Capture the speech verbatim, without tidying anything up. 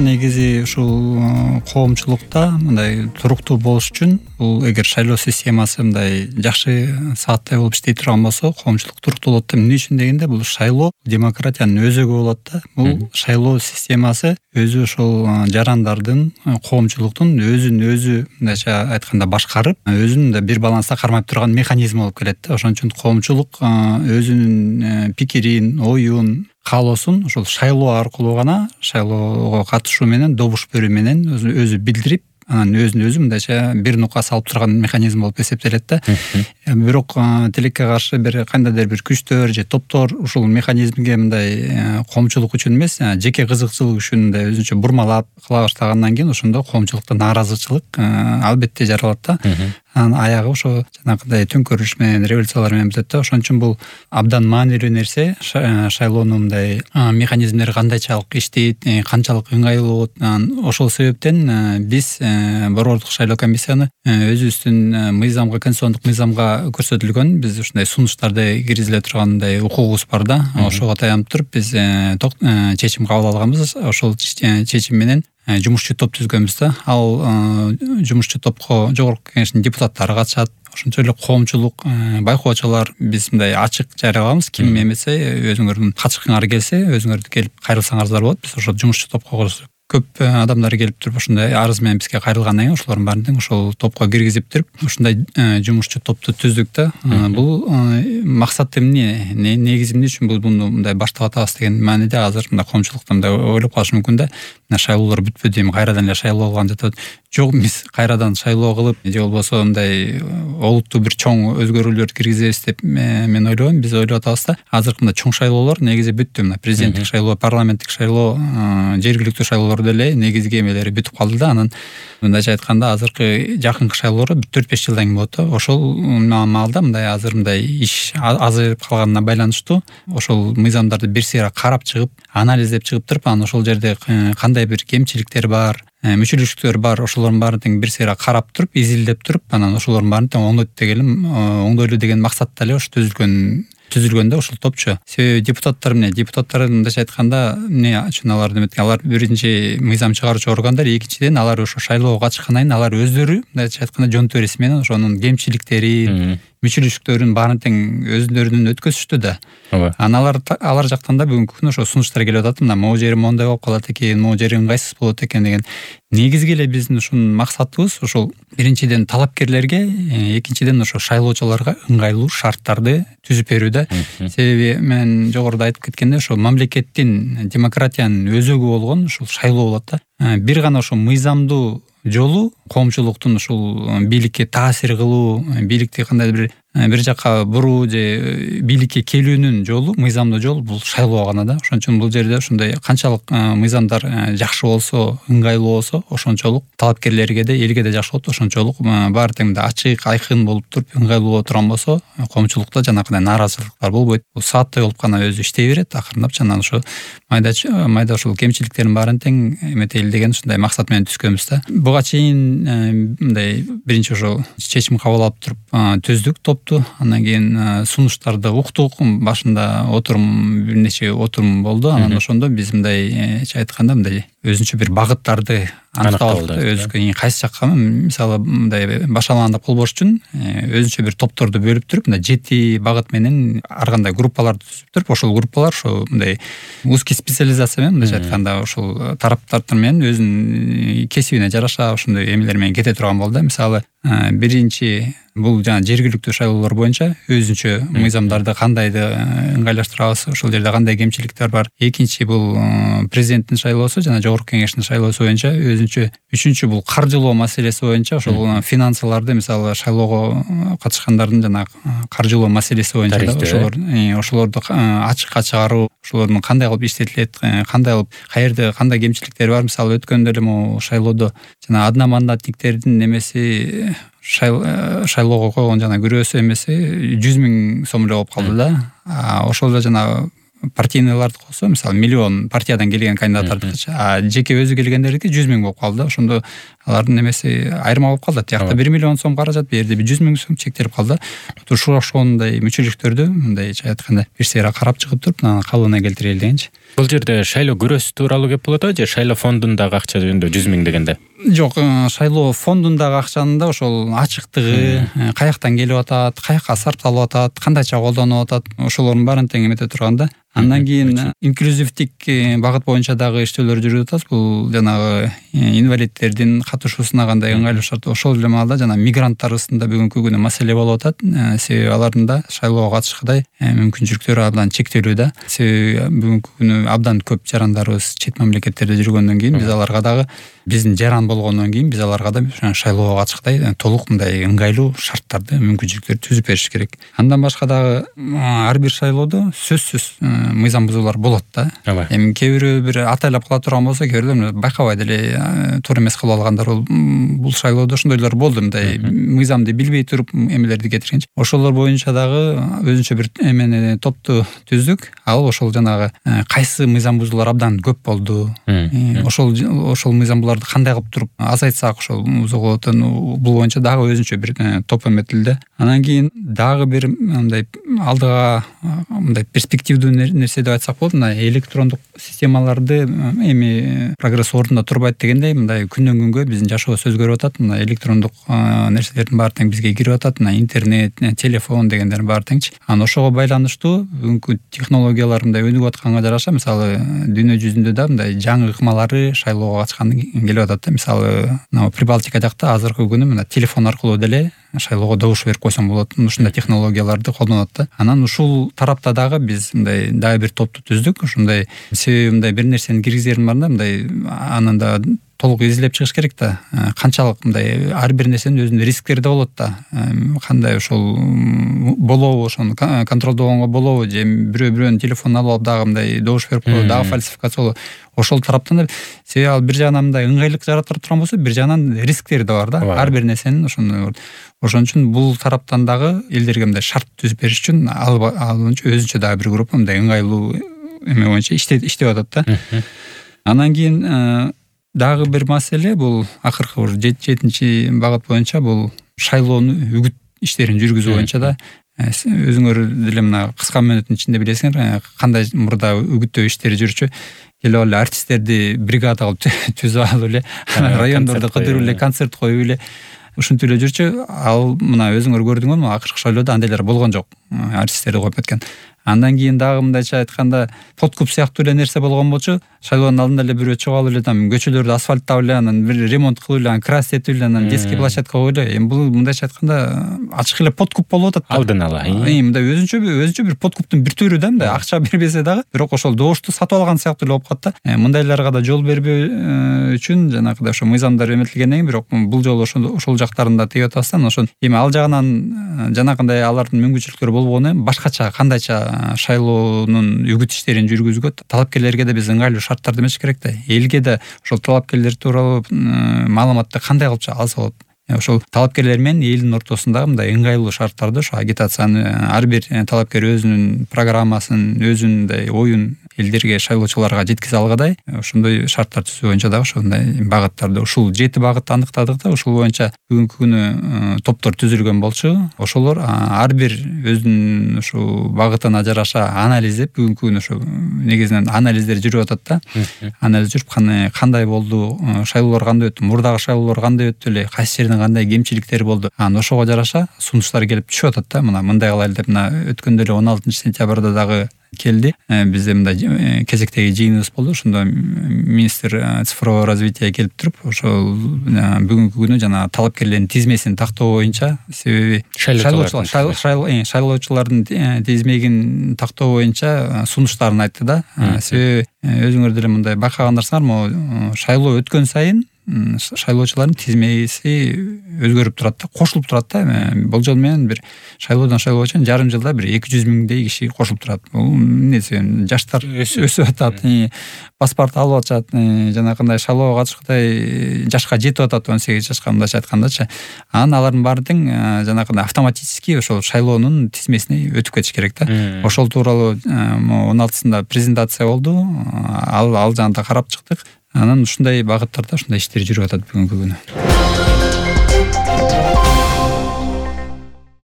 негизи ушул коомчулукта мындай туруктуу болуш үчүн бул эгер шайлоо системасы мындай жакшы сааттай болуп иштей турган болсо коомчулук туруктуу болот да. Эмне үчүн дегенде бул шайлоо демократиянын өзөгү болот да. Бул шайлоо системасы өзү ошол жарандардын, коомчулуктун өзүн өзү мындайча айтканда башкарып, өзүн да бир баланста кармап турган механизм болуп келет да. Ошон үчүн коомчулук өзүнүн пикирин, оюн, каалоосун ошол шайлоо аркылуу гана, шайлоого катышуу менен, добуш берүү менен өзү билдирип, анан өзүн өзү мындайча бир нукка салып турган механизм болуп эсептелет да. Бирок тилекке каршы бир кандайдыр бир күчтөр же топтор ушул механизмге мындай коомчулук үчүн эмес, жеке кызыкчылык үчүн мындай өзүнчө бурмалап кыла баштагандан кийин ошондо коомчулукта нааразычылык албетте жаралат да. Анан аягы ошо жанагындай төңкөрүш менен, революциялар менен бүтөт да. Ошон үчүн бул абдан маанилүү нерсе. Шайлоонун мындай механизмдери кандайчалык иштейт, канчалык ыңгайлуу болот. Анан ошол себептен биз борбордук шайлоо комиссияны өзүбүздүн мыйзамга, конституциондук мыйзамга көрсөтүлгөн биз ушундай сунуштарды киргизиле тургандай укугубуз бар да. Ошого таянып туруп биз чечим кабыл алганбыз. Ошол чечим менен жумушчу топ түзгөнбүз да. Ал жумушчу топко жогорку кеңештин депутаттары катышат. Ошончо эле коомчулук, байкоочулар биз мындай ачык жарыяламыз. Ким эмесе, өзүңөрдүн катышкыңар келсе, өзүңөр келип кайрылсаңардар болот. Биз ошол жумушчу топко көп адамдар келип туруп ошондой арыз менен бизге кайрылгандан кийин ошолордун баарын тең ошол топко киргизип туруп, ушундай жумушчу топту түздүк да. Бул максат эмне? Негизи эмне үчүн бул муну мындай баштап атабыз деген мааниде азыр мындай коомчулукта мындай ойлоп калышы мүмкүн да. Шайлоолор бүтпөдү, эми кайрадан эле шайлоо кылган жатат. Жок, биз кайрадан шайлоо кылып, же болбосо мындай олуттуу бир чоң өзгөрүүлөр киргизебиз деп мен ойлойм. Биз ойлоп атабыз да. Азыркы мындай чоң шайлоолор негизи бүттү. Мына президенттик шайлоо, парламенттик шайлоо, жергиликтүү шайлоолор деле негизги эмелери бүтүп калды да. Анан мындайча айтканда азыркы жакынкы шайлоолор төрт беш жылдан кийин болот да. Ошол маалда мындай азыр мындай иш азайып калганына байланыштуу ошол мыйзамдарды бир сыйра карап чыгып, анализдеп чыгып туруп, анан ошол жерде кандай бир кемчиликтер бар, мүчүлүштүктөр бар, ошолордун баарын тең бир сыйра карап туруп, изилдеп туруп, анан ошолордун баарын тең оңдойт дегеним, оңдойлу деген максатта эле ошо түзүлгөн түзүлгөн да ушул топчу. Себеби депутаттар эмне? Депутаттар мындайча айтканда эмне үчүн алар деметкен? Алар биринчи мыйзам чыгаруучу органдар, экинчиден алар ошо шайлоого катышкандан кийин алар өздөрү мындайча айтканда жон тереси менен ошонун кемчиликтерин, мүчүлүштүктөрүн баарын тең өзүлөрүнөн өткөзүштү да. Анан алар алар жактан да бүгүнкү күнү ошо сунуштар келип атат. Мына могу жери моундай болуп калат экен, могу жери ыңгайсыз болот экен деген. Негизги эле биздин ушунун максатыбыз ошол биринчиден талапкерлерге, экинчиден ошо шайлоочуларга ыңгайлуу шарттарды түзүп берүү да. Себеби мен жогоруда айтып кеткендей, ошо мамлекеттин, демократиянын өзөгү болгон ушул шайлоо болот да. Бир гана ошо мыйзамдуу жолу коомчулуктун ушул бийликке таасир кылуу, бийликти кандайдыр бир бир жакка буруу же бийликке келүүнүн жолу, мыйзамдуу жол бул шайлоо гана да. Ошон үчүн бул жерде ушундай канчалык мыйзамдар жакшы болсо, ыңгайлуу болсо, ошончолук талапкерлерге де, элге де жакшы болот. Ошончолук баары тең ачык, айкын болуп туруп, ыңгайлуу боло турган болсо, коомчулукта жанагындай нааразычылыктар болбойт. Бул сааттай болуп гана өзү иштей берет, акырындап жана ошо майда майда ошол кемчиликтердин баарын тең эметели деген ушундай максат менен түзгөнбүз да. Буга чейин мындай биринчи ошо чечим кабыл алып туруп түздүк топту. Андан кийин сунуштарды уктук. Башында отурум, бир нече отурум болду. Анан ошондо биз мындай айтканда мындай өзүнчө бир багыттарды аныктап алдык. Өзүнүн кайсы жакка, мисалы мындай башалаганда болбош үчүн өзүнчө бир топторду бөлүп туруп, мындай жети багыт менен ар кандай группаларды түзүп туруп, ошол группалар ошо мындай узкий специализация менен, мындайча айтканда ошол тараптар менен өзүнүн кесибине жараша ошондой эмелер менен кете турган болду. Мисалы биринчи бул жана жергиликтүү шайлоолор боюнча өзүнчө мыйзамдарды кандайды ыңгайлаштырабыз, ошол жерде кандай кемчиликтер бар. Экинчи бул президенттин шайлоосу жана жогорку кеңештин шайлоосу боюнча өзүнчө. Үчүнчү бул каржылоо маселеси боюнча ошол финансыларды, мисалы шайлоого катышкандардын жана каржылоо маселеси боюнча ошолор ошолорду ачыкка чыгаруу, ошолордун кандай кылып иштетилет, кандай кылып, каерде кандай кемчиликтер бар. Мисалы өткөндө эле могу шайлоодо жана одномандатниктердин немеси шайлоого койгон жана күрөөсү эмеси жүз миң сом эле болуп калды да. Ошол эле жана партийныйларды койсо, мисалы миллион партиядан келген кандидаттардыкыча, а жеке өзү келгендердики жүз миң болуп калды. Ошондо алардын немеси айырма болуп калды. Тиякта бир миллион сом каражат, бу жерде жүз миң сом чектелип калды. Ушул ошондой мүчөлүктөрдү мындайча айтканда бир сыйра карап чыгып туруп анан калыбына келтирели дегенчи. Бул жерде шайлоо көрөсү тууралуу кеп болот же шайлоо фондундагы акча жөнүндө жүз миң дегенде? Жок, шайлоо фондундагы акчанын да ошол ачыктыгы, каяктан келип атат, каяка сарпталып атат, кандайча колдонуп атат, ошолордун баарын тең эмете турганда, андан кийин инклюзивдик багыт боюнча дагы иштөөлөр жүрүп атат. Бул жанагы инвалидтердин катышуусуна кандай ыңгайлуу шарт, ошол эле маалда жана мигранттар арасында бүгүнкү күнү маселе болуп атат. Себеби алардын да шайлоого катышкыдай мүмкүнчүлүктөрү абдан чектелүү да. Себеби бүгүнкү күнү абдан көп жарандарыбыз чет мамлекеттерде жүргөндөн кийин биз аларга дагы биздин жаран болгондон кийин биз аларга да шайлоого катышкыдай толук мындай ыңгайлуу шарттарды, мүмкүнчүлүктөрдү түзүп бериш керек. Андан башка дагы ар бир шайлоодо сөзсүз мыйзам бузуулар болот да. Эми кээ бирөө бир атайлап кыла турган болсо, кээ бирөө байкабай деле туура эмес кылып алгандар бул шайлоодо ошондойлор болду. Мындай мыйзамды билбей туруп эмелерди кетиргенчи. Ошолор боюнча дагы өзүнчө бир эмени топту түздүк. Ал ошол жанагы кайсы мыйзам бузуулар абдан көп болду. Ошол ошол мыйзам буларды кандай кылып туруп азайтсак ошол бузууга бул боюнча дагы өзүнчө бир топ эметилди. Анан кийин дагы бир мындай алдыга мындай перспективдүү нерсе деп айтсак болот. Мына электрондук системаларды эми прогресс ордунда турбайт дегендей, мындай күндөн күнгө биздин жашообуз өзгөрүп атат. Мына электрондук нерселердин баары тең бизге кирип атат. Мына интернет, телефон дегендердин баары теңчи. Анан ошого байланыштуу бүгүнкү технологиялар мындай өнүгүп атканга жараша, мисалы дүйнө жүзүндө да мындай жаңы ыкмалары шайлоого катышкандан келип атат да. Мисалы мына Прибалтика жакта азыркы күнү мына телефон аркылуу деле шайлоого добуш берип койсоң болот. Ушундай технологияларды колдонот да. Анан ушул тарапта дагы биз мындай дагы бир топту түздүк. Ушундай себеби мындай бир нерсени киргизерин барында мындай анан да толук изилеп чыгыш керек да. Канчалык мындай ар бир нерсенин өзүнүн рисктери да болот да. Кандай ошол болобу, ошону контролдогонго болобу, же бирөө бирөөнүн телефонун алып алып дагы мындай добуш берип коюп дагы фальсификация болобу. Ошол тараптан да себеби ал бир жагынан мындай ыңгайлык жаратып турган болсо, бир жагынан рисктери да бар да. Ар бир нерсенин ошондой. Ошон үчүн бул тараптан дагы элдерге мындай шарт түзүп бериш үчүн ал өзүнчө дагы бир группа мындай ыңгайлуу эме боюнча иштеп иштеп атат да. Андан кийин дагы бир маселе бул акыркы бир жетинчи багыт боюнча бул шайлоону үгүт иштерин жүргүзүү боюнча да. Өзүңөр деле мына кыска мүнөттүн ичинде билесиңер кандай мурда үгүттөө иштери жүрчү. Келип эле артисттерди бригада кылып түзүп алып эле райондордо кыдырып эле концерт коюп эле ушинтип эле жүрчү. Ал мына өзүңөр көрдүңөр, акыркы шайлоодо андайлар болгон жок. Артисттерди коюп кеткен. Андан кийин дагы мындайча айтканда подкуп сыяктуу эле нерсе болгон болчу. Шайлоонун алдында эле бирөө чыгып алып эле там көчөлөрдү асфальттап эле, анан бир ремонт кылып эле, анан крас этип эле, анан детский площадка коюп эле. Эми бул мындайча айтканда ачык эле подкуп болуп атат. Алдын ала. Эми мындай өзүнчө өзүнчө бир подкуптун бир түрү да, мындай акча бербесе дагы, бирок ошол добушту сатып алган сыяктуу эле болуп калат да. Мындайларга да жол бербөө үчүн жанагыдай ошо мыйзамдар эметилгенден кийин, бирок бул жолу ошол ошол жактарында тийип атасыздан, ошон эми ал жагынан жанагындай алардын мүмкүнчүлүктөрү болбогону эми башкача кандайча шайлоонун үгүт иштерин жүргүзүүгө талапкерлерге да биз ыңгайлуу шарттарды эмеш керек да. Элге да ошол талапкерлер тууралуу маалыматты кандай кылып алса болот. Ошол талапкерлер менен элдин ортосундагы мындай ыңгайлуу шарттарды, ошо агитацияны ар бир талапкер өзүнүн программасын, өзүнүн мындай оюн элдерге, шайлоочуларга жеткизе алгадай ошондой шарттар түзүү боюнча дагы ошондой багыттарды, ушул жети багытты аныктадык да. Ушул боюнча бүгүнкү күнү топтор түзүлгөн болчу. Ошолор ар бир өзүнүн ушул багытына жараша анализдеп, бүгүнкү күнү ошо негизинен анализдер жүрүп атат да. Анализ жүрүп, кандай болду, шайлоолор кандай өттү, мурдагы шайлоолор кандай өттү эле, кайсы жерден кандай кемчиликтери болду. Анан ошого жараша сунуштар келип түшүп атат да. Мына мындай кылайлы деп, мына өткөндө эле он алтынчы сентябрда дагы келди. Бизде мындай кезектеги жыйыныбыз болду. Ошондо министр цифрового развития келип туруп, ошол бүгүнкү күнү жана талапкерлердин тизмесин тактоо боюнча, себеби шайлоочулар шайлоочулардын тизмегин тактоо боюнча сунуштарын айтты да. Себеби өзүңөр деле мындай байкагандарсыңар, могу шайлоо өткөн сайын шайлоочулардын тизмеси өзгөрүп турат да, кошулуп турат да. Болжол менен бир шайлоодон шайлоого чейин жарым жылда бир эки жүз миңдей киши кошулуп турат. Бул эмнеси, жаштар өсүп атат, паспорт алып атышат, жанагындай шайлоого катышкандай жашка жетип атат, он сегиз жашка мындайча айткандачы. Анан алардын баары тең жанагындай автоматически ошол шайлоонун тизмесине өтүп кетиш керек да. Ошол тууралуу он алтысында презентация болду. Ал ал жагында карап чыктык. анан ушундай багыттарда ушундай иштер жүрүп атат бүгүнкү күнү.